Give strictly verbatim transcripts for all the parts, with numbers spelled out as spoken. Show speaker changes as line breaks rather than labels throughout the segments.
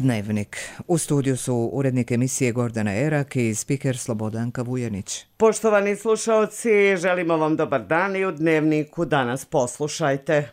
Dnevnik. U studiju su urednik emisije Gordana Erak i spiker Slobodanka Vujanić.
Poštovani slušaoci, želimo vam dobar dan i u Dnevniku danas poslušajte.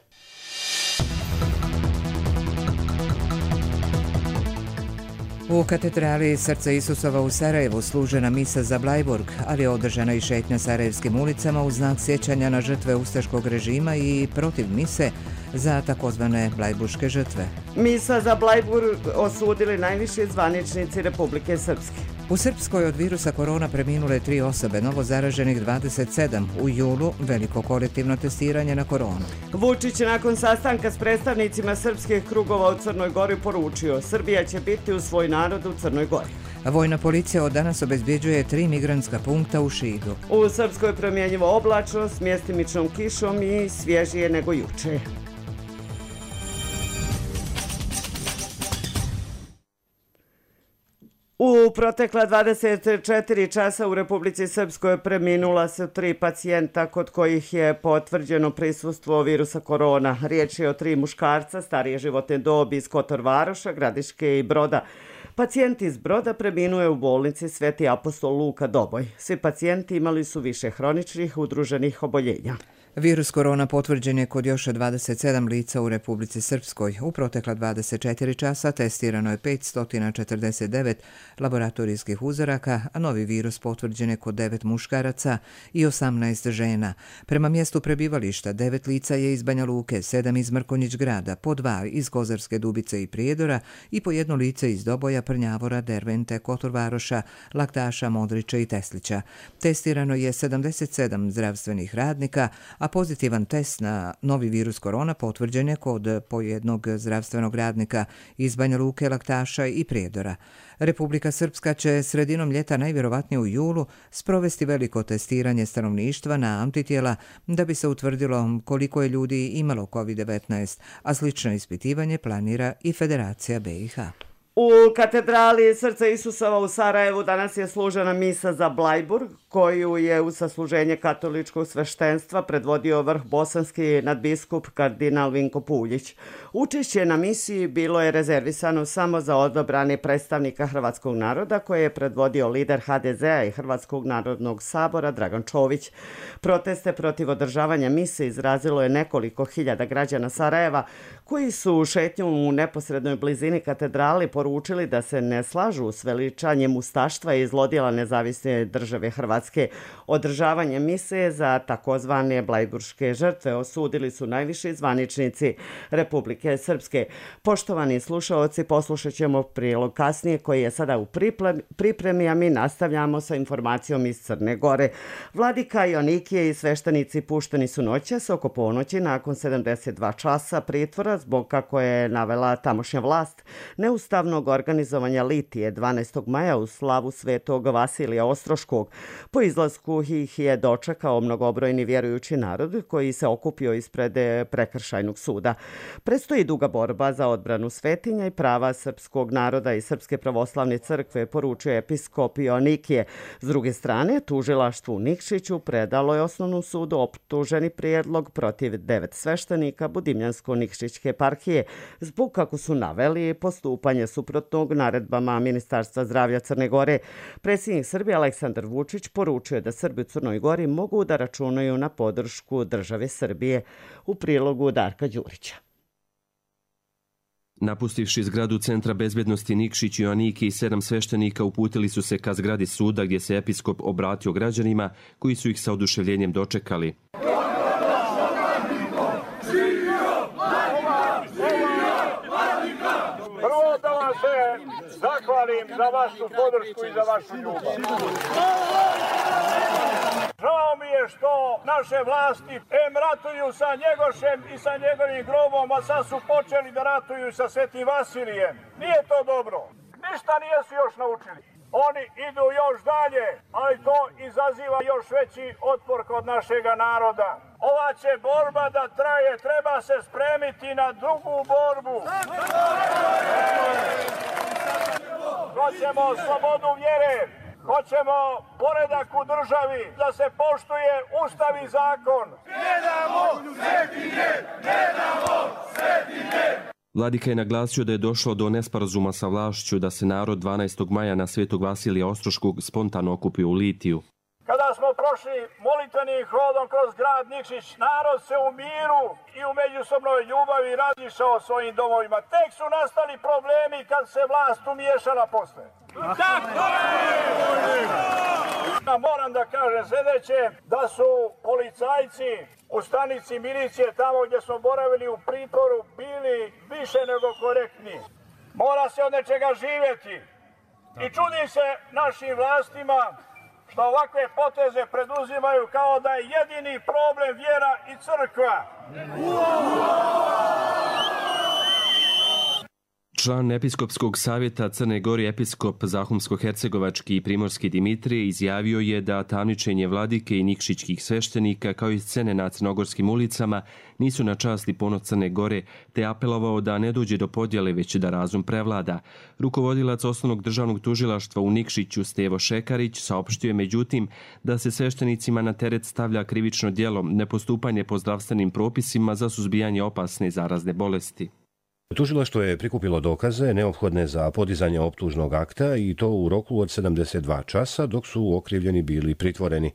U katedrali Srca Isusova u Sarajevu služena misa za Blajburg, ali je održana i šetnja sarajevskim ulicama u znak sjećanja na žrtve ustaškog režima i protiv mise za takozvane blajburške žrtve.
Misa za Blajburg osudili najviši zvaničnici Republike Srpske.
U Srpskoj od virusa korona preminule tri osobe, novo zaraženih dvadeset sedam. U julu veliko kolektivno testiranje na koronu.
Vučić je nakon sastanka s predstavnicima srpskih krugova u Crnoj Gori poručio: Srbija će biti uz svoj narod u Crnoj Gori.
Vojna policija od danas obezbjeđuje tri migrantska punkta u Šidu.
U Srpskoj promjenjivo oblačno s mjestimičnom kišom i svježije nego juče. U protekla dvadeset četiri časa u Republici Srpskoj preminula su tri pacijenta kod kojih je potvrđeno prisustvo virusa korona. Riječ je o tri muškarca starije životne dobi iz Kotor Varoša, Gradiške i Broda. Pacijent iz Broda preminuo je u bolnici Sveti apostol Luka Doboj. Svi pacijenti imali su više hroničnih udruženih oboljenja.
Virus korona potvrđen je kod još dvadeset sedam lica u Republici Srpskoj. U protekla dvadeset četiri časa testirano je petsto četrdeset devet laboratorijskih uzoraka, a novi virus potvrđen je kod devet muškaraca i osamnaest žena. Prema mjestu prebivališta devet lica je iz Banja Luke, sedam iz Mrkonjić Grada, po dva iz Kozarske Dubice i Prijedora i po jedno lice iz Doboja, Prnjavora, Dervente, Kotor Varoša, Laktaša, Modrića i Teslića. Testirano je sedamdeset sedam zdravstvenih radnika, a pozitivan test na novi virus korona potvrđen je kod po jednog zdravstvenog radnika iz Banja Luke, Laktaša i Prijedora. Republika Srpska će sredinom ljeta, najvjerovatnije u julu, sprovesti veliko testiranje stanovništva na antitijela da bi se utvrdilo koliko je ljudi imalo kovid devetnaest, a slično ispitivanje planira i Federacija be i ha.
U katedrali Srca Isusova u Sarajevu danas je služena misa za Blajburg, koju je u sasluženje katoličkog sveštenstva predvodio vrh bosanski nadbiskup kardinal Vinko Puljić. Učešće na misiji bilo je rezervisano samo za odabrane predstavnika hrvatskog naroda, koje je predvodio lider ha de zea i Hrvatskog narodnog sabora Dragan Čović. Proteste protiv održavanja mise izrazilo je nekoliko hiljada građana Sarajeva, koji su šetnjom u neposrednoj blizini katedrali poručili da se ne slažu s veličanjem ustaštva i zlodjela nezavisne države Hrvatske. Održavanje mise za takozvane blajburške žrtve osudili su najviši zvaničnici Republike Srpske. Poštovani slušaoci, poslušat ćemo prilog kasnije koji je sada u pripremi, a mi nastavljamo sa informacijom iz Crne Gore. Vladika Joanikije i sveštenici pušteni su noćas oko ponoći nakon sedamdeset dva časa pritvora zbog, kako je navela tamošnja vlast, neustavnog organizovanja litije dvanaestog maja u slavu svetog Vasilija Ostroškog. Po izlasku ih je dočekao mnogobrojni vjerujući narod koji se okupio ispred prekršajnog suda. Predstoji duga borba za odbranu svetinja i prava srpskog naroda i Srpske pravoslavne crkve, poručuje episkop Joanikije. S druge strane, tužilaštvu u Nikšiću predalo je osnovnom sudu optuženi prijedlog protiv devet sveštenika Budimljansko-Nikšićke eparhije zbog, kako su naveli, postupanje suprotnog naredbama Ministarstva zdravlja Crne Gore. Predsjednik Srbije Aleksandar Vučić poručuje da Srbi u Crnoj Gori mogu da računaju na podršku države Srbije. U prilogu Darka Đurića.
Napustivši zgradu Centra bezbjednosti Nikšić, Joaniki i sedam sveštenika uputili su se ka zgradi suda gdje se episkop obratio građanima koji su ih sa oduševljenjem dočekali.
Prvo da vam se zahvalim za vašu podršku i za vašu ljubav. Žao mi je što naše vlasti em ratuju sa Njegošem i sa njegovim grobom, a sad su počeli da ratuju sa Svetim Vasilijem. Nije to dobro. Ništa nijesu još naučili. Oni idu još dalje, ali to izaziva još veći otpor kod našega naroda. Ova će borba da traje, treba se spremiti na drugu borbu. Hoćemo slobodu vjere, hoćemo poredak u državi, da se poštuje Ustav i zakon. Ne damo svetinje, ne damo svetinje.
Vladika je naglasio da je došlo do nesporazuma sa vlašću da se narod dvanaestog maja na Svetog Vasilija Ostroškog spontano okupio u Litiju.
Kada smo prošli molitvenim hodom kroz grad Nikšić, narod se u miru i u međusobnoj ljubavi razišao svojim domovima. Tek su nastali problemi kad se vlast umiješala posle. Tako je! Moram da kažem sljedeće, da su policajci u stanici milicije tamo gdje smo boravili u pritvoru bili više nego korektni. Mora se od nečega živjeti. I čudim se našim vlastima što ovakve poteze preduzimaju kao da je jedini problem vjera i crkva.
Član Episkopskog savjeta Crne Gore episkop Zahumsko-hercegovački i primorski Dimitrije izjavio je da tamničenje vladike i nikšićkih sveštenika kao i scene na crnogorskim ulicama nisu na čast i ponos Crne Gore, te apelovao da ne dođe do podjele već da razum prevlada. Rukovodilac osnovnog državnog tužilaštva u Nikšiću Stevo Šekarić saopštio je međutim da se sveštenicima na teret stavlja krivično djelo nepostupanje po zdravstvenim propisima za suzbijanje opasne zarazne bolesti.
Tužilaštvo je prikupilo dokaze neophodne za podizanje optužnog akta i to u roku od sedamdeset dva časa dok su okrivljeni bili pritvoreni.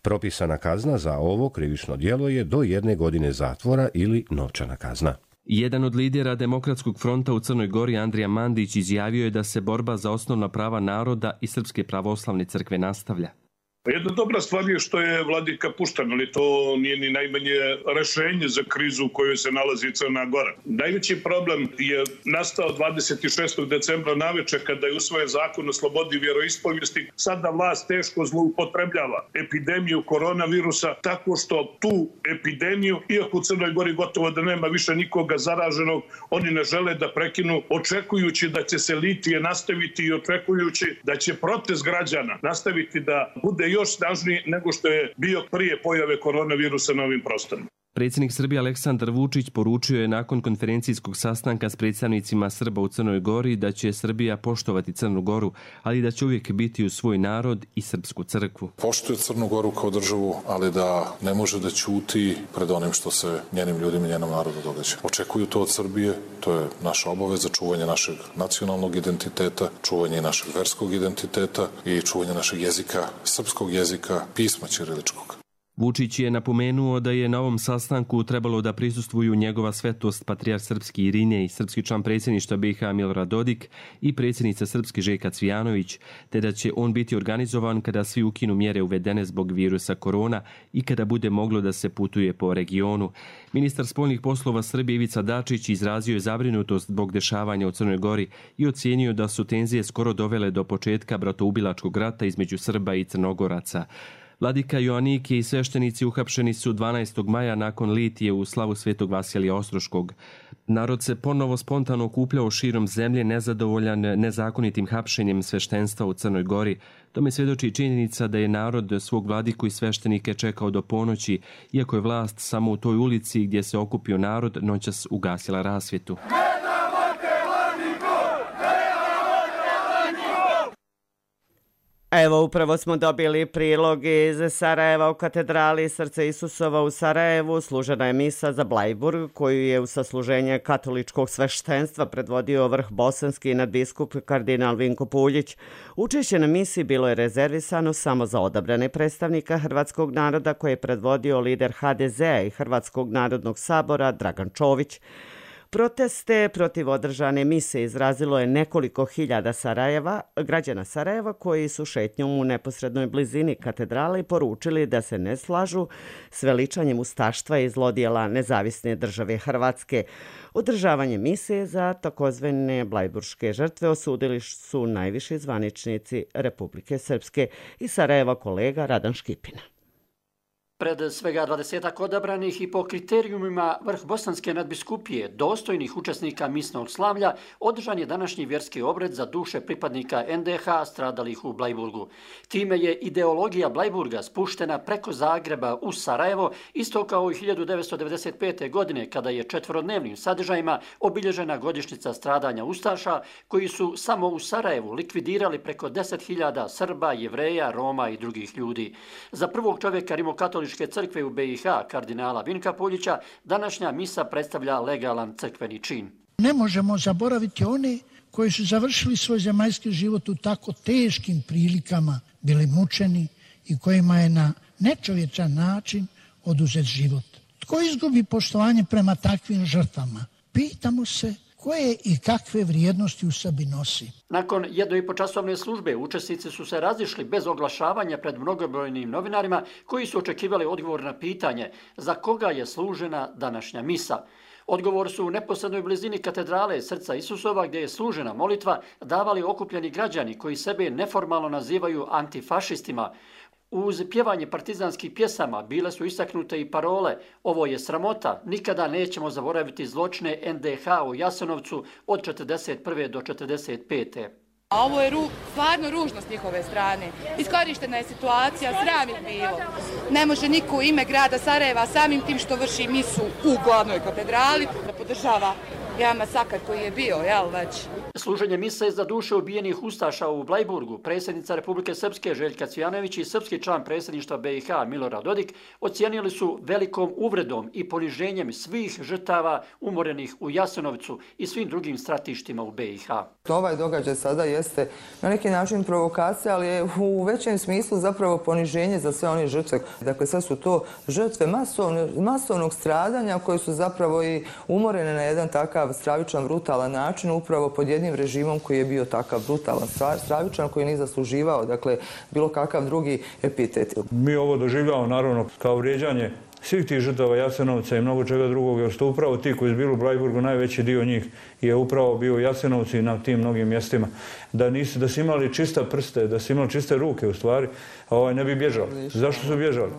Propisana kazna za ovo krivično djelo je do jedne godine zatvora ili novčana kazna.
Jedan od lidera Demokratskog fronta u Crnoj Gori, Andrija Mandić, izjavio je da se borba za osnovna prava naroda i Srpske pravoslavne crkve nastavlja.
Jedna dobra stvar je što je vladika pušten, ali to nije ni najmanje rešenje za krizu u kojoj se nalazi Crna Gora. Najveći problem je nastao dvadeset šestog decembra naveče kada je usvojen zakon o slobodi vjeroispovijesti. Sada vlast teško zloupotrebljava epidemiju koronavirusa tako što tu epidemiju, iako u Crnoj Gori gotovo da nema više nikoga zaraženog, oni ne žele da prekinu, očekujući da će se litije nastaviti i očekujući da će protest građana nastaviti da bude još snažniji nego što je bio prije pojave koronavirusa na ovim prostorima.
Predsjednik Srbije Aleksandar Vučić poručio je nakon konferencijskog sastanka s predstavnicima Srba u Crnoj Gori da će Srbija poštovati Crnu Goru, ali da će uvijek biti uz svoj narod i srpsku crkvu.
Poštuje Crnu Goru kao državu, ali da ne može da ćuti pred onim što se njenim ljudima i njenom narodu događa. Očekuju to od Srbije, to je naša obaveza, čuvanje našeg nacionalnog identiteta, čuvanje našeg verskog identiteta i čuvanje našeg jezika, srpskog jezika, pisma ćiriličkog.
Vučić je napomenuo da je na ovom sastanku trebalo da prisustvuju njegova svetost patrijarh srpski Irinej, srpski član predsjedništva B i H Milorad Dodik i predsjednica srpske Željka Cvijanović, te da će on biti organizovan kada svi ukinu mjere uvedene zbog virusa korona i kada bude moglo da se putuje po regionu. Ministar spoljnih poslova Srbije Ivica Dačić izrazio je zabrinutost zbog dešavanja u Crnoj Gori i ocijenio da su tenzije skoro dovele do početka bratoubilačkog rata između Srba i Crnogoraca. Vladika Joaniki i sveštenici uhapšeni su dvanaestog maja nakon litije u slavu Svetog Vasilija Ostroškog. Narod se ponovo spontano okupljao širom zemlje nezadovoljan nezakonitim hapšenjem sveštenstva u Crnoj Gori. Tome svjedoči činjenica da je narod svog vladiku i sveštenike čekao do ponoći, iako je vlast samo u toj ulici gdje se okupio narod noćas ugasila rasvjetu.
Evo, upravo smo dobili prilog iz Sarajeva u katedrali Srca Isusova u Sarajevu. Služena je misa za Blajburg, koju je u sasluženje katoličkog sveštenstva predvodio vrh bosanski nadbiskup kardinal Vinko Puljić. Učešće na misi bilo je rezervisano samo za odabrane predstavnika hrvatskog naroda koje je predvodio lider H D Z-a i Hrvatskog narodnog sabora Dragan Čović. Proteste protiv održane mise izrazilo je nekoliko hiljada Sarajeva, građana Sarajeva koji su šetnjom u neposrednoj blizini katedrale i poručili da se ne slažu s veličanjem ustaštva i zlodjela nezavisne države Hrvatske. Održavanje mise za takozvane blajburške žrtve osudili su najviši zvaničnici Republike Srpske i Sarajeva kolega Radan Škipina.
Pred svega dvadesetak odabranih i po kriterijumima vrh bosanske nadbiskupije dostojnih učesnika misnog slavlja održan je današnji vjerski obred za duše pripadnika N D H stradalih u Blajburgu. Time je ideologija Blajburga spuštena preko Zagreba u Sarajevo, isto kao i hiljadu devetsto devedeset pete. godine kada je četverodnevnim sadržajima obilježena godišnjica stradanja ustaša koji su samo u Sarajevu likvidirali preko deset hiljada Srba, Jevreja, Roma i drugih ljudi. Za prvog čovjeka rimokatoličke crkve u B i H, kardinala Vinka Puljića, današnja misa predstavlja legalan crkveni čin.
Ne možemo zaboraviti one koji su završili svoj zemaljski život u tako teškim prilikama, bili mučeni i kojima je na nečovječan način oduzet život. Tko izgubi poštovanje prema takvim žrtvama? Pitamo se koje i kakve vrijednosti u sebi nosi.
Nakon jedno i po časovne službe učesnici su se razišli bez oglašavanja pred mnogobrojnim novinarima koji su očekivali odgovor na pitanje za koga je služena današnja misa. Odgovor su u neposrednoj blizini katedrale Srca Isusova gdje je služena molitva davali okupljeni građani koji sebe neformalno nazivaju antifašistima. Uz pjevanje partizanskih pjesama bile su istaknute i parole "Ovo je sramota, nikada nećemo zaboraviti zločine en de ha u Jasenovcu od četrdeset prve do četrdeset pete
A ovo je ru, stvarno ružno s njihove strane. Iskorištena je situacija, sram ih bilo. Ne može niko u ime grada Sarajeva samim tim što vrši misu u glavnoj katedrali da podržava jedan masakar koji je bio, jel već?
Služenje mise za duše ubijenih ustaša u Blajburgu, predsjednica Republike Srpske Željka Cvijanović i srpski član predsjedništva be i ha Milorad Dodik ocijenili su velikom uvredom i poniženjem svih žrtava umorenih u Jasenovcu i svim drugim stratištima u be i ha.
Ovaj događaj sada jeste na neki način provokacija, ali je u većem smislu zapravo poniženje za sve one žrtve. Dakle, sve su to žrtve masovnog, masovnog stradanja koje su zapravo i umorene na jedan takav stravičan, brutalan način, upravo pod jednim režimom koji je bio takav brutalan, stravičan, koji nije zasluživao, dakle, bilo kakav drugi epitet.
Mi ovo doživljavamo naravno kao vrijeđanje svih tih žrtava Jasenovca i mnogo čega drugog, jer su upravo ti koji su bili u Blajburgu, najveći dio njih je upravo bio Jasenovci na tim mnogim mjestima. Da nisu, da su imali čista prste, da su imali čiste ruke u stvari, a ovaj ne bi bježali. Zašto su bježali?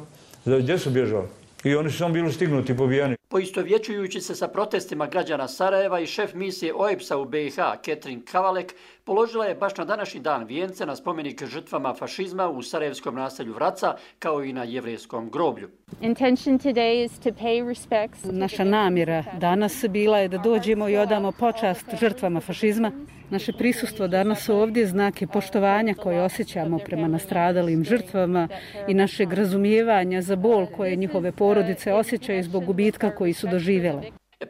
Gdje su bježali? I oni su samo bili stignuti i pobijani.
Poistovjećujući se sa protestima građana Sarajeva i šef misije o e pe es a u be i ha, Ketrin Kavalek, položila je baš na današnji dan vijence na spomenik žrtvama fašizma u sarajevskom naselju Vraca, kao i na jevrejskom groblju.
Naša namjera danas bila je da dođemo i odamo počast žrtvama fašizma. Naše prisustvo danas ovdje znak je poštovanja koje osjećamo prema nastradalim žrtvama i našeg razumijevanja za bol koje njihove porodice osjećaju zbog gubitka koji su doživjele.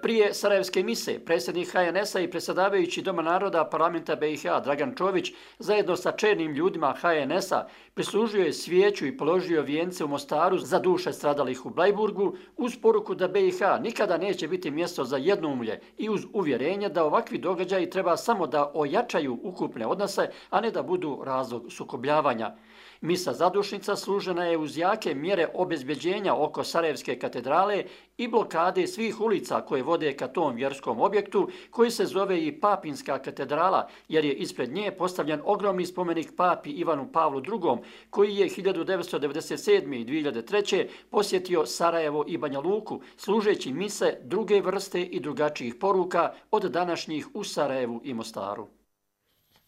Prije sarajevske mise, predsjednik ha en es a i predsjedavajući Doma naroda parlamenta be i ha Dragan Čović zajedno sa čelnim ljudima ha en es a prislužio je svijeću i položio vijence u Mostaru za duše stradalih u Blajburgu uz poruku da be i ha nikada neće biti mjesto za jednoumlje i uz uvjerenje da ovakvi događaji treba samo da ojačaju ukupne odnose, a ne da budu razlog sukobljavanja. Misa zadušnica služena je uz jake mjere obezbeđenja oko Sarajevske katedrale i blokade svih ulica koje vode ka tom vjerskom objektu koji se zove i Papinska katedrala, jer je ispred nje postavljen ogromni spomenik papi Ivanu Pavlu drugom koji je hiljadu devetsto devedeset sedme. i dvije hiljade treće. posjetio Sarajevo i Banja Luku služeći mise druge vrste i drugačijih poruka od današnjih u Sarajevu i Mostaru.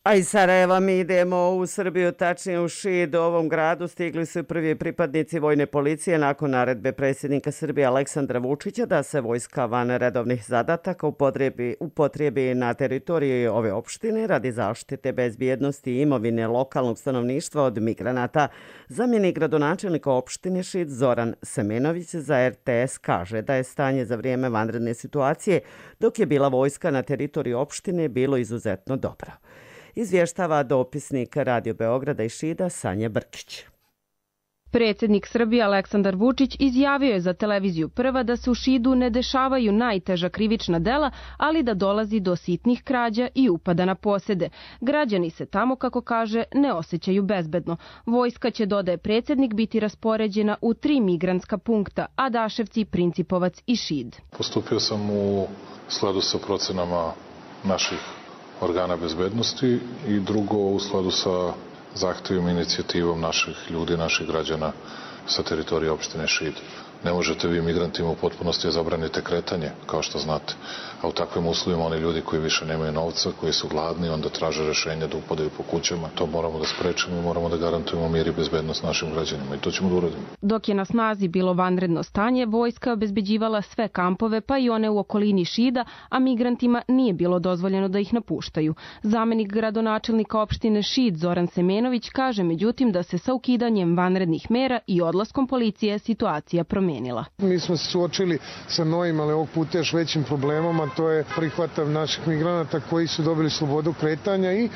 A iz Sarajeva mi idemo u Srbiju, tačnije u Šid. U ovom gradu stigli su prvi pripadnici vojne policije nakon naredbe predsjednika Srbije Aleksandra Vučića da se vojska van redovnih zadataka upotrebi, upotrebi na teritoriji ove opštine radi zaštite bezbjednosti i imovine lokalnog stanovništva od migranata. Zamjenik gradonačelnika opštine Šid Zoran Semenović za er te es kaže da je stanje za vrijeme vanredne situacije dok je bila vojska na teritoriji opštine bilo izuzetno dobro. Izvještava dopisnik Radio Beograda i Šida Sanja Brkić.
Predsjednik Srbije Aleksandar Vučić izjavio je za televiziju Prva da se u Šidu ne dešavaju najteža krivična dela, ali da dolazi do sitnih krađa i upada na posjede. Građani se tamo, kako kaže, ne osjećaju bezbedno. Vojska će, dodaje predsjednik, biti raspoređena u tri migrantska punkta, Adaševci, Principovac i Šid.
Postupio sam u skladu sa procenama naših organa bezbednosti i drugo u skladu sa zahtjevima i inicijativom naših ljudi, naših građana sa teritorije opštine Šid. Ne možete vi migrantima u potpunosti zabranite kretanje, kao što znate. A u takvim uslovima oni ljudi koji više nemaju novca, koji su gladni, onda traže rješenje da upadaju po kućama. To moramo da sprečimo i moramo da garantujemo mir i bezbednost našim građanima i to ćemo da uradimo.
Dok je na snazi bilo vanredno stanje, vojska obezbeđivala sve kampove, pa i one u okolini Šida, a migrantima nije bilo dozvoljeno da ih napuštaju. Zamenik gradonačelnika opštine Šid Zoran Semenović Semenović kaže međutim da se sa ukidanjem vanrednih mera i odlaskom policije situacija promenila.
Mi smo se suočili sa novim, ali ovog puta još većim problemom, a to je prihvatav naših migranata koji su dobili slobodu kretanja i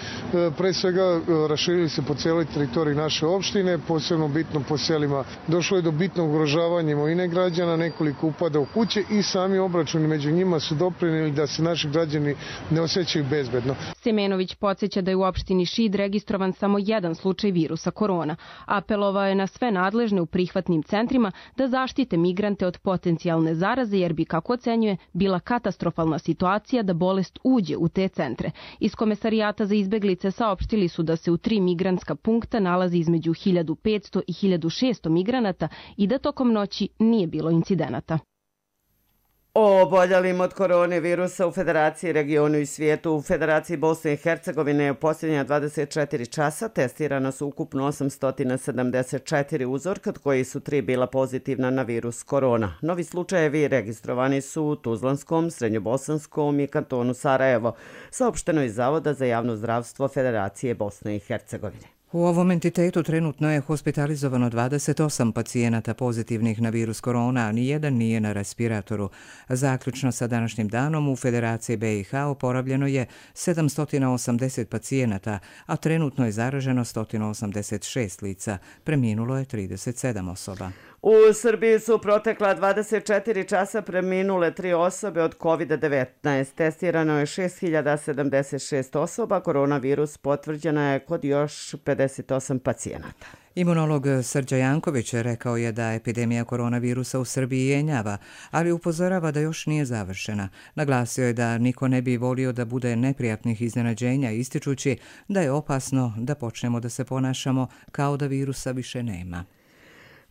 pre svega raširili se po cijeloj teritoriji naše opštine, posebno bitno po selima. Došlo je do bitnog ugrožavanja imovine građana, nekoliko upada u kuće i sami obračuni među njima su doprinijeli da se naši građani ne osjećaju bezbedno.
Semenović podsjeća da je u opštini Šid registrovan samo jedan slučaj virusa korona. Apelovao je na sve nadležne u prihvatnim centrima da zaštite migrante od potencijalne zaraze jer bi, kako ocenjuje, bila katastrofalna situacija da bolest uđe u te centre. Iz Komesarijata za izbeglice saopštili su da se u tri migrantska punkta nalazi između hiljadu petsto i hiljadu šesto migranata i da tokom noći nije bilo incidenata.
O oboljelim od koronavirusa u Federaciji, regionu i svijetu. U Federaciji Bosne i Hercegovine u posljednja dvadeset četiri časa testirano su ukupno osamsto sedamdeset četiri uzorka, od koji su tri bila pozitivna na virus korona. Novi slučajevi registrovani su u Tuzlanskom, Srednjobosanskom i kantonu Sarajevo, saopšteno iz Zavoda za javno zdravstvo Federacije Bosne i Hercegovine.
U ovom entitetu trenutno je hospitalizovano dvadeset osam pacijenata pozitivnih na virus korona, a nijedan nije na respiratoru. Zaključno sa današnjim danom u Federaciji B i H oporavljeno je sedamsto osamdeset pacijenata, a trenutno je zaraženo sto osamdeset šest lica. Preminulo je trideset sedam osoba.
U Srbiji su protekla dvadeset četiri časa preminule tri osobe od kovid devetnaest. Testirano je šest hiljada sedamdeset šest osoba, koronavirus potvrđena je kod još pedeset osam pacijenata.
Imunolog Srđa Janković rekao je da epidemija koronavirusa u Srbiji jenjava, ali upozorava da još nije završena. Naglasio je da niko ne bi volio da bude neprijatnih iznenađenja, ističući da je opasno da počnemo da se ponašamo kao da virusa više nema.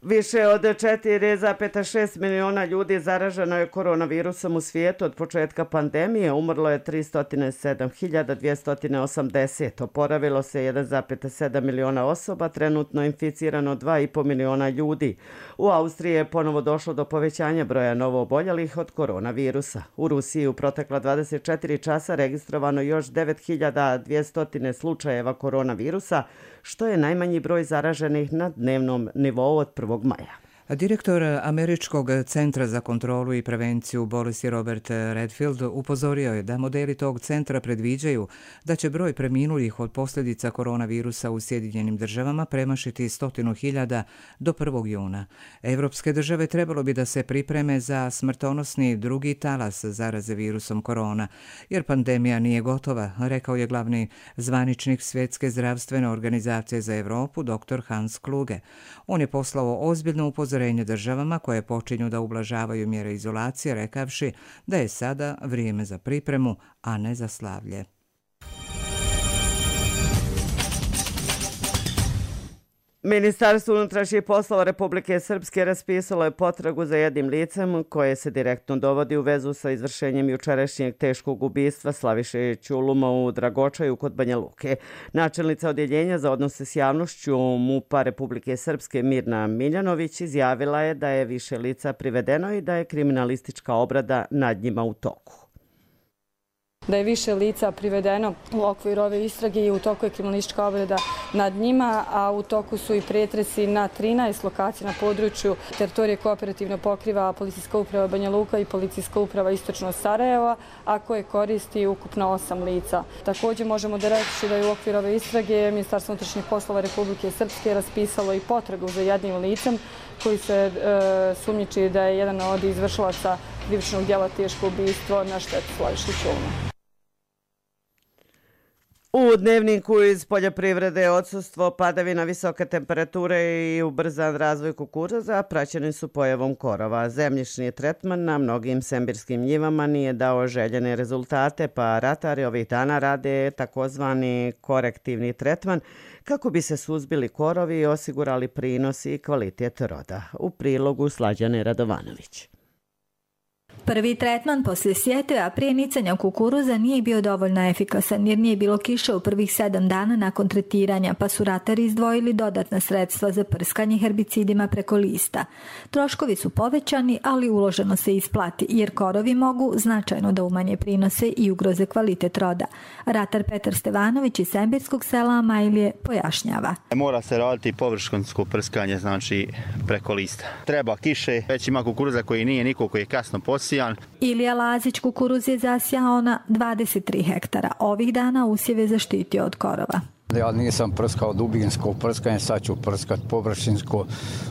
Više od četiri zarez šest miliona ljudi zaraženo je koronavirusom u svijetu od početka pandemije. Umrlo je tristo sedam hiljada dvjesto osamdeset. Oporavilo se jedan zarez sedam miliona osoba, trenutno inficirano dva i po miliona ljudi. U Austriji je ponovo došlo do povećanja broja novooboljelih od koronavirusa. U Rusiji u protekla dvadeset četiri časa registrovano još devet hiljada dvjesto slučajeva koronavirusa, što je najmanji broj zaraženih na dnevnom nivou od prvog maja.
Direktor Američkog centra za kontrolu i prevenciju bolesti Robert Redfield upozorio je da modeli tog centra predviđaju da će broj preminulih od posljedica koronavirusa u Sjedinjenim državama premašiti stotinu hiljada do prvog juna. Evropske države trebalo bi da se pripreme za smrtonosni drugi talas zaraze virusom korona, jer pandemija nije gotova, rekao je glavni zvaničnik Svjetske zdravstvene organizacije za Evropu, dr Hans Kluge. On je poslao ozbiljno upozorenje državama koje počinju da ublažavaju mjere izolacije, rekavši da je sada vrijeme za pripremu, a ne za slavlje.
Ministarstvo unutrašnjih poslova Republike Srpske raspisalo je potragu za jednim licem koje se direktno dovodi u vezu sa izvršenjem jučerašnjeg teškog ubistva Slaviše Ćuluma u Dragočaju kod Banja Luke. Načelnica odjeljenja za odnose s javnošću MUP-a Republike Srpske Mirna Miljanović izjavila je da je više lica privedeno i da je kriminalistička obrada nad njima u toku.
Da je više lica privedeno u okviru ove istrage i u toku je kriminalistička obrada nad njima, a u toku su i pretresi na trinaest lokacija na području teritorije kooperativno pokriva Policijska uprava Banja Luka i Policijska uprava Istočno Sarajeva, a koje koristi ukupno osam lica. Također možemo da reći da je u okviru ove istrage Ministarstvo unutrašnjih poslova Republike Srpske raspisalo i potragu za jednim licem koji se e, sumnjiči da je jedan od izvršilaca krivičnog djela teško ubistvo na štetu Slaviše Ćuluma.
U dnevniku iz poljoprivrede odsustvo padavina, visoke temperature i ubrzan razvoj kukuruza praćeni su pojavom korova. Zemljišni tretman na mnogim sembirskim njivama nije dao željene rezultate, pa ratari ovih dana rade takozvani korektivni tretman kako bi se suzbili korovi i osigurali prinos i kvalitet roda. U prilogu Slađane Radovanović.
Prvi tretman poslije sjetve, a prije nicanja kukuruza nije bio dovoljno efikasan jer nije bilo kiše u prvih sedam dana nakon tretiranja, pa su ratari izdvojili dodatna sredstva za prskanje herbicidima preko lista. Troškovi su povećani, ali uloženo se isplati jer korovi mogu značajno da umanje prinose i ugroze kvalitet roda. Ratar Petar Stevanović iz Sembirskog sela Amajlije pojašnjava.
Mora se raditi površinsko prskanje, znači preko lista. Treba kiše, već ima kukuruza koji nije niko, koji je kasno posijan.
Ilija Lazić kukuruz je zasijao na dvadeset tri hektara. Ovih dana usjev je zaštitio od korova.
Ja nisam prskao dubinsko prskanje, sad ću prskat površinsko,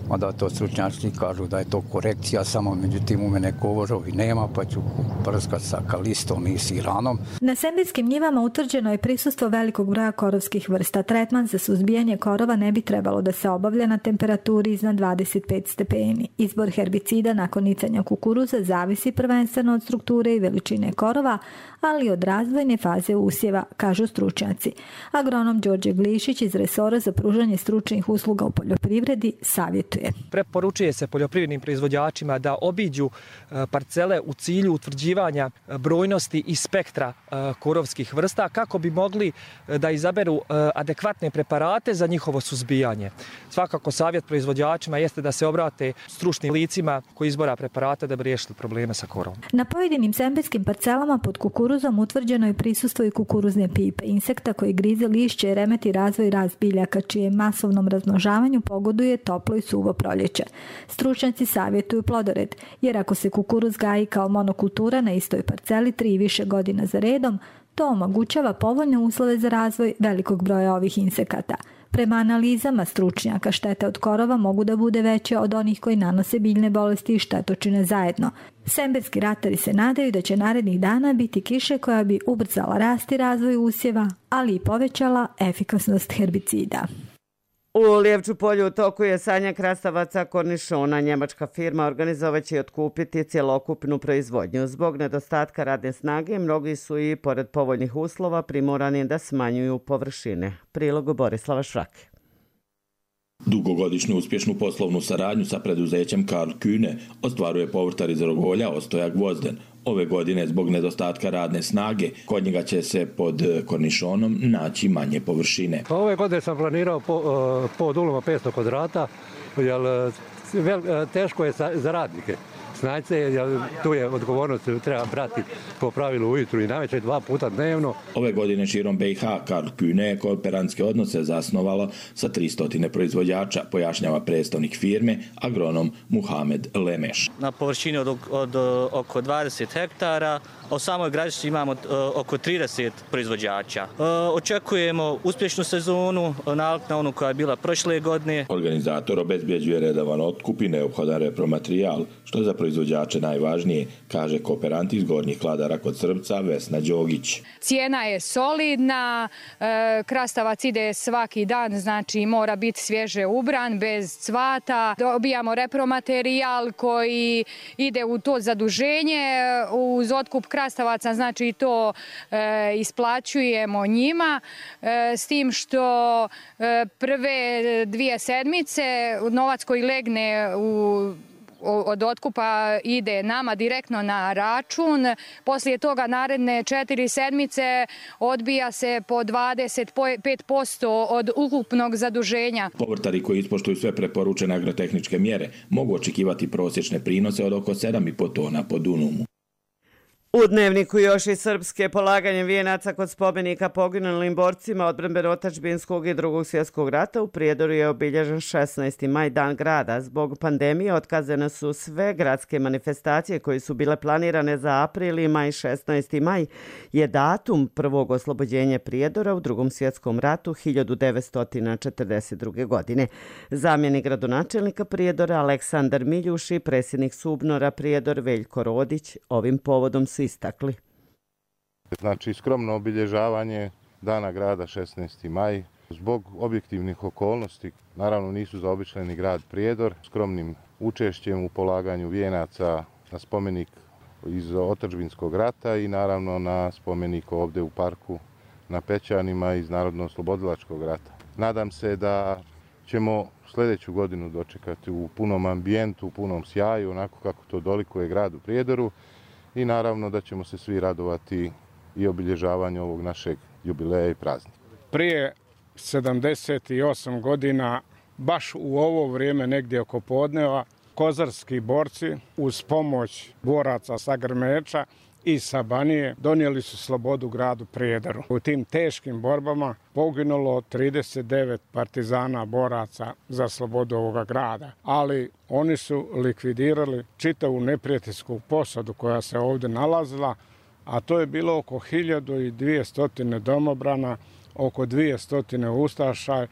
onda to stručnjaci kažu da je to korekcija, samo međutim u mene korovi nema, pa ću prskat sa kalistom i siranom.
Na sembirskim njivama utvrđeno je prisustvo velikog broja korovskih vrsta. Tretman za suzbijanje korova ne bi trebalo da se obavlja na temperaturi iznad dvadeset pet stepeni. Izbor herbicida nakon nicanja kukuruza zavisi prvenstveno od strukture i veličine korova, ali od razvojne faze usjeva, kažu stručnjaci. Agronom Đorđe Glišić iz resora za pružanje stručnih usluga u poljoprivredi savjetuje.
Preporučuje se poljoprivrednim proizvođačima da obiđu parcele u cilju utvrđivanja brojnosti i spektra korovskih vrsta kako bi mogli da izaberu adekvatne preparate za njihovo suzbijanje. Svakako savjet proizvođačima jeste da se obrate stručnim licima koji izbora preparata da bi riješili probleme sa korovom.
Na pojedinim sembirskim parcelama pod kukuruzom utvrđeno je prisustvo i kukuruzne pipe, insekta koji grize lišće i remeti razvoj rast biljaka, čije masovnom razmnožavanju pogoduje toplo i suvo proljeće. Stručnjaci savjetuju plodored, jer ako se kukuruz gaji kao monokultura na istoj parceli tri i više godina za redom, to omogućava povoljne uslove za razvoj velikog broja ovih insekata. Prema analizama stručnjaka, štete od korova mogu da bude veće od onih koji nanose biljne bolesti i štetočine zajedno. Sembirski ratari se nadaju da će narednih dana biti kiše koja bi ubrzala rast i razvoj usjeva, ali i povećala efikasnost herbicida.
U Lijevču polju u toku je sadnja krastavaca kornišona. Njemačka firma organizovaće i otkupiti cjelokupnu proizvodnju. Zbog nedostatka radne snage, mnogi su i, pored povoljnih uslova, primorani da smanjuju površine. Prilog Borislava Šrake.
Dugogodišnju uspješnu poslovnu saradnju sa preduzećem Karl Kühne ostvaruje povrtar iz Rogolja Ostoja Gvozden. Ove godine, zbog nedostatka radne snage, kod njega će se pod kornišonom naći manje površine.
Pa ove godine sam planirao po, pod uloma petsto kvadrata, jer teško je za radnike. Snajce, jer tu je odgovornost, treba brati po pravilu ujutru i navečer dva puta dnevno.
Ove godine širom B i H Karl Kühne je kooperantske odnose zasnovalo sa tristo proizvođača, pojašnjava predstavnik firme, agronom Muhamed Lemeš.
Na površini od, od oko dvadeset hektara, a u samoj gradišci imamo oko trideset proizvođača. Očekujemo uspješnu sezonu, nalik na onu koja je bila prošle godine.
Organizator obezbjeđuje redovan otkup i neophodan repromaterijal, što je za proizvođače najvažnije, kaže kooperant iz Gornjih Kladara kod Srbca Vesna Đogić.
Cijena je solidna, krastavac ide svaki dan, znači mora biti svježe ubran, bez cvata. Dobijamo repromaterijal koji ide u to zaduženje, uz otkup krastavaca, znači to e, isplaćujemo njima, e, s tim što e, prve dvije sedmice novac koji legne u od otkupa ide nama direktno na račun. Poslije toga naredne četiri sedmice odbija se po dvadeset pet posto od ukupnog zaduženja.
Povrtari koji ispoštuju sve preporučene agrotehničke mjere mogu očekivati prosječne prinose od oko sedam i po tona po dunumu.
U Dnevniku još i srpske polaganje vijenaca kod spomenika poginulim borcima odbrambeno-otadžbinskog i drugog svjetskog rata u Prijedoru je obilježen šesnaesti maj, dan grada. Zbog pandemije otkazane su sve gradske manifestacije koje su bile planirane za april i maj. šesnaesti maj je datum prvog oslobođenja Prijedora u drugom svjetskom ratu hiljadu devetsto četrdeset druge. godine. Zamjenik gradonačelnika Prijedora Aleksandar Miljuš i predsjednik Subnora Prijedor Veljko Rodić ovim povodom su istakli.
Znači skromno obilježavanje dana grada šesnaesti maj zbog objektivnih okolnosti. Naravno nisu zaobišljeni grad Prijedor skromnim učešćem u polaganju vijenaca na spomenik iz otadžbinskog rata i naravno na spomenik ovdje u parku na Pećanima iz Narodno-oslobodilačkog rata. Nadam se da ćemo sljedeću godinu dočekati u punom ambijentu, u punom sjaju, onako kako to dolikuje gradu Prijedoru i naravno da ćemo se svi radovati i obilježavanju ovog našeg jubileja i praznika.
Prije sedamdeset osam godina, baš u ovo vrijeme negdje oko podneva, kozarski borci uz pomoć boraca sa Grmeča i sa Banije donijeli su slobodu gradu Prijedoru. U tim teškim borbama poginulo trideset devet partizana boraca za slobodu ovoga grada, ali oni su likvidirali čitavu neprijateljsku posadu koja se ovdje nalazila, a to je bilo oko hiljadu dvjesto domobrana, oko dvjesto ustaša.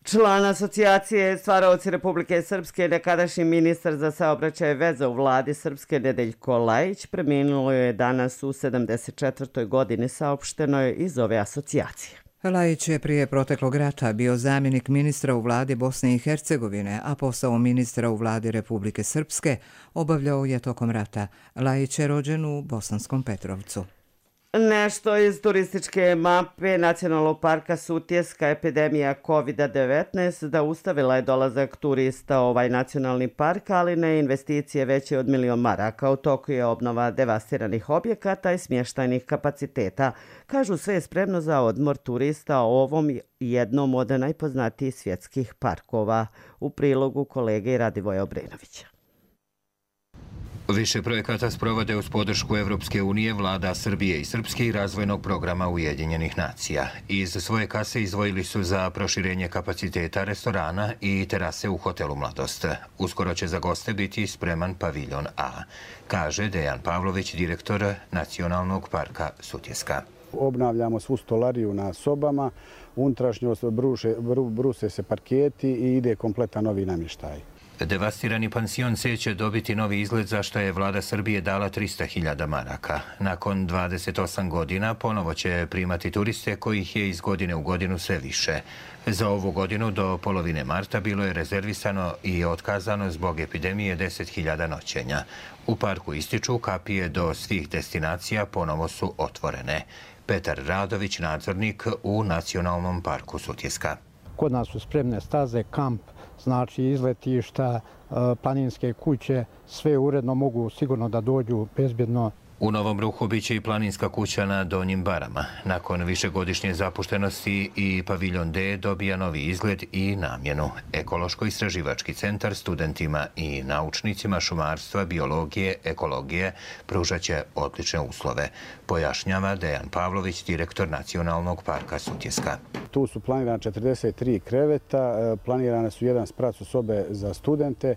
Član asocijacije Stvaraoci Republike Srpske, nekadašnji ministar za saobraćaj i veze u vladi Srpske Nedeljko Lajić, preminulo je danas u sedamdeset četvrtoj godini, saopšteno je iz ove asocijacije.
Lajić je prije proteklog rata bio zamjenik ministra u vladi Bosne i Hercegovine, a posao ministra u vladi Republike Srpske obavljao je tokom rata. Lajić je rođen u Bosanskom Petrovcu.
Nešto iz turističke mape Nacionalnog parka Sutjeska. Epidemija kovid devetnaest zaustavila je dolazak turista u ovaj nacionalni park, ali ne investicije veće od milion maraka. U toku je obnova devastiranih objekata i smještajnih kapaciteta. Kažu, sve je spremno za odmor turista u ovom jednom od najpoznatijih svjetskih parkova. U prilogu kolege Radivoja Obrenovića.
Više projekata sprovode uz podršku Evropske unije, vlada Srbije i Srpske i razvojnog programa Ujedinjenih nacija. Iz svoje kase izdvojili su za proširenje kapaciteta restorana i terase u hotelu Mladost. Uskoro će za goste biti spreman paviljon A, kaže Dejan Pavlović, direktor Nacionalnog parka Sutjeska.
Obnavljamo svu stolariju na sobama, unutrašnjost bruse se parketi i ide kompletan novi namještaj.
Devastirani pansion C će dobiti novi izgled za što je vlada Srbije dala trista hiljada maraka. Nakon dvadeset osam godina ponovo će primati turiste kojih je iz godine u godinu sve više. Za ovu godinu do polovine marta bilo je rezervisano i otkazano zbog epidemije deset hiljada noćenja. U parku ističu kapije do svih destinacija ponovo su otvorene. Petar Radović, nadzornik u Nacionalnom parku Sutjeska.
Kod nas su spremne staze, kamp, znači izletišta, planinske kuće, sve uredno mogu sigurno da dođu bezbjedno.
U Novom Ruhu biće i planinska kuća na Donjim Barama. Nakon višegodišnje zapuštenosti i paviljon D dobija novi izgled i namjenu. Ekološko-istraživački centar studentima i naučnicima šumarstva, biologije, ekologije pružaće odlične uslove, pojašnjava Dejan Pavlović, direktor Nacionalnog parka Sutjeska.
Tu su planirane četrdeset tri kreveta, planirane su jedan sprat u sobe za studente,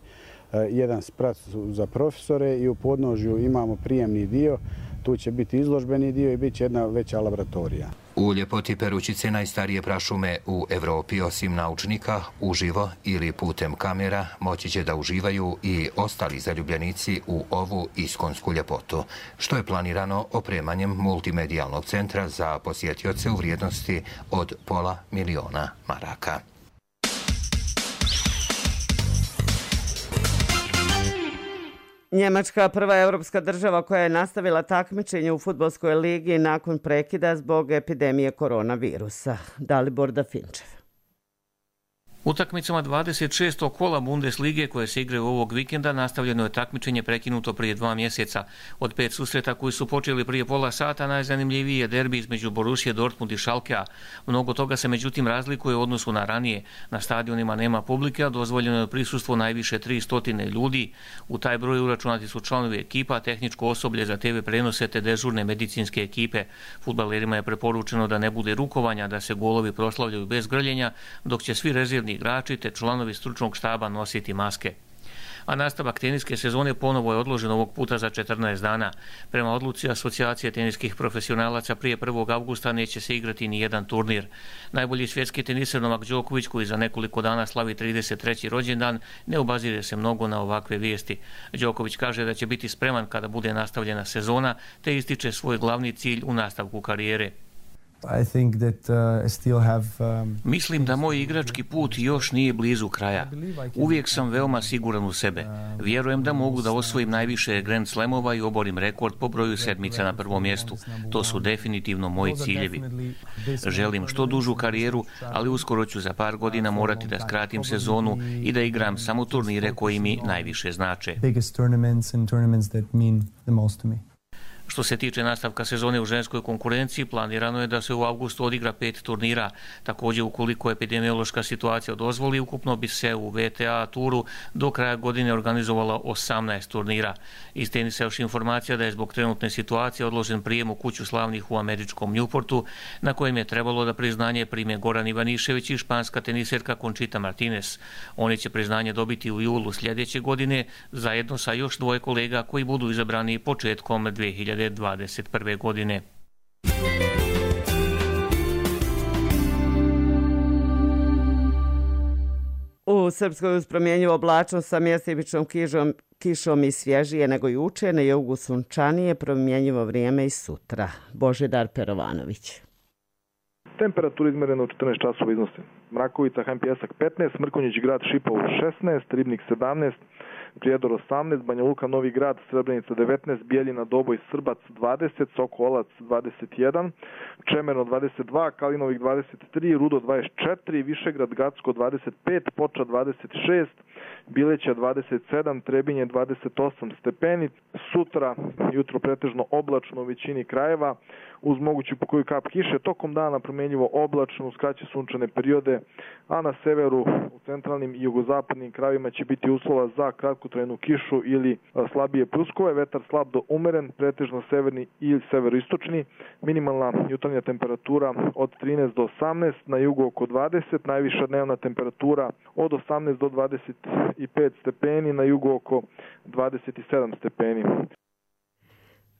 jedan sprat za profesore i u podnožju imamo prijemni dio. Tu će biti izložbeni dio i bit će jedna veća laboratorija.
U ljepoti Perućice, najstarije prašume u Evropi, osim naučnika, uživo ili putem kamera moći će da uživaju i ostali zaljubljenici u ovu iskonsku ljepotu, što je planirano opremanjem multimedijalnog centra za posjetioce u vrijednosti od pola miliona maraka.
Njemačka, prva evropska država koja je nastavila takmičenje u fudbalskoj ligi nakon prekida zbog epidemije koronavirusa. Dalibor Dafinčev.
Utakmicama dvadeset šestog kola Bundeslige koje se igraju ovog vikenda nastavljeno je takmičenje prekinuto prije dva mjeseca. Od pet susreta koji su počeli prije pola sata najzanimljiviji je derbi između Borussia Dortmund i Schalkea. Mnogo toga se međutim razlikuje u odnosu na ranije. Na stadionima nema publike, a dozvoljeno je prisustvo najviše tristo ljudi. U taj broj uračunati su članovi ekipa, tehničko osoblje za te ve prenose te dežurne medicinske ekipe. Fudbalerima je preporučeno da ne bude rukovanja, da se golovi proslavljaju bez grljenja, dok će svi rezervni igrači te članovi stručnog štaba nositi maske. A nastavak teniske sezone ponovo je odložen ovog puta za četrnaest dana. Prema odluci Asocijacije teniskih profesionalaca prije prvog avgusta neće se igrati ni jedan turnir. Najbolji svjetski teniser Novak Đoković, koji za nekoliko dana slavi trideset treći rođendan, ne obazire se mnogo na ovakve vijesti. Đoković kaže da će biti spreman kada bude nastavljena sezona, te ističe svoj glavni cilj u nastavku karijere. Mislim da moj igrački put još nije blizu kraja. Uvijek sam veoma siguran u sebe. Vjerujem da mogu da osvojim najviše Grand Slamova i oborim rekord po broju sedmica na prvom mjestu. To su definitivno moji ciljevi. Želim što dužu karijeru, ali uskoro ću za par godina morati da skratim sezonu i da igram samo turnire koji mi najviše znače. Što se tiče nastavka sezone u ženskoj konkurenciji, planirano je da se u avgustu odigra pet turnira. Također, ukoliko epidemiološka situacija dozvoli, ukupno bi se u V T A turu do kraja godine organizovala osamnaest turnira. Iz tenisa još informacija da je zbog trenutne situacije odložen prijem u kuću slavnih u američkom Newportu, na kojem je trebalo da priznanje prime Goran Ivanišević i španska teniserka Conchita Martinez. Oni će priznanje dobiti u julu sljedeće godine, zajedno sa još dvoje kolega koji budu izabrani početkom dve hiljade dvadeset prve. godine.
U Srpskoj uz promjenjivu oblačnost sa mjestimičnom kišom, kišom i svježije nego juče, na jugu sunčanije, promjenjivo vrijeme i sutra. Božidar Perovanović.
Temperatura izmerena u četrnaest časova iznosi Mrakovica, H M Pjesak petnaest, Mrkonjić grad Šipovo šesnaest, Ribnik sedamnaest, Prijedor osamnaest, Banja Luka, Novi grad, Srebrenica devetnaest, Bijeljina, Doboj, Srbac dvadeset, Sokolac dvadeset jedan, Čemerno dvadeset dva, Kalinovik dvadeset tri, Rudo dvadeset četiri, Višegrad, Gacko dvadeset pet, Poča dvadeset šest, Bileća dvadeset sedam, Trebinje dvadeset osam stepeni. Sutra jutro pretežno oblačno u većini krajeva uz moguću pokoju kap kiše. Tokom dana promjenjivo oblačno uz kraće sunčane periode, a na severu, u centralnim i jugozapadnim krajevima će biti uslova za kratkotrajnu kišu ili slabije pluskove. Vetar slab do umeren, pretežno severni i severoistočni. Minimalna jutarnja temperatura od trinaest do osamnaest, na jugu oko dvadeset, najviša dnevna temperatura od osamnaest do dvadeset pet stepeni, na jugu oko dvadeset sedam stepeni.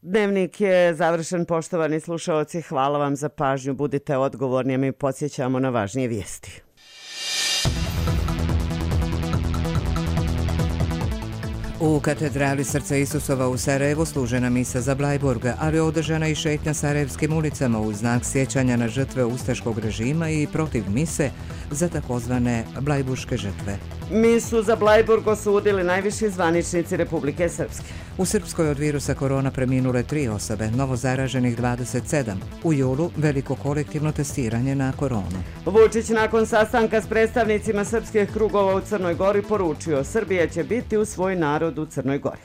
Dnevnik je završen, poštovani slušaoci. Hvala vam za pažnju. Budite odgovorni, a mi podsjećamo na važnije vijesti.
U katedrali Srca Isusova u Sarajevu služena misa za Blajburga, ali održana i šetnja sarajevskim ulicama u znak sjećanja na žrtve ustaškog režima i protiv mise za takozvane blajburške žrtve.
Misu za Blajburg osudili najviši zvaničnici Republike Srpske.
U Srpskoj od virusa korona preminule tri osobe, novo zaraženih dvadeset sedam. U julu veliko kolektivno testiranje na koronu.
Vučić nakon sastanka s predstavnicima srpskih krugova u Crnoj Gori poručio: Srbija će biti u svoj narod u Crnoj Gori.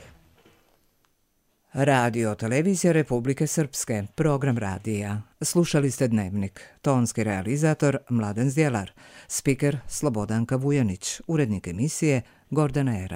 Radio Televizija Republike Srpske, program radija. Slušali ste Dnevnik. Tonski realizator Mladen Zdjelar, spiker Slobodanka Vujanić, urednik emisije Gordana Era.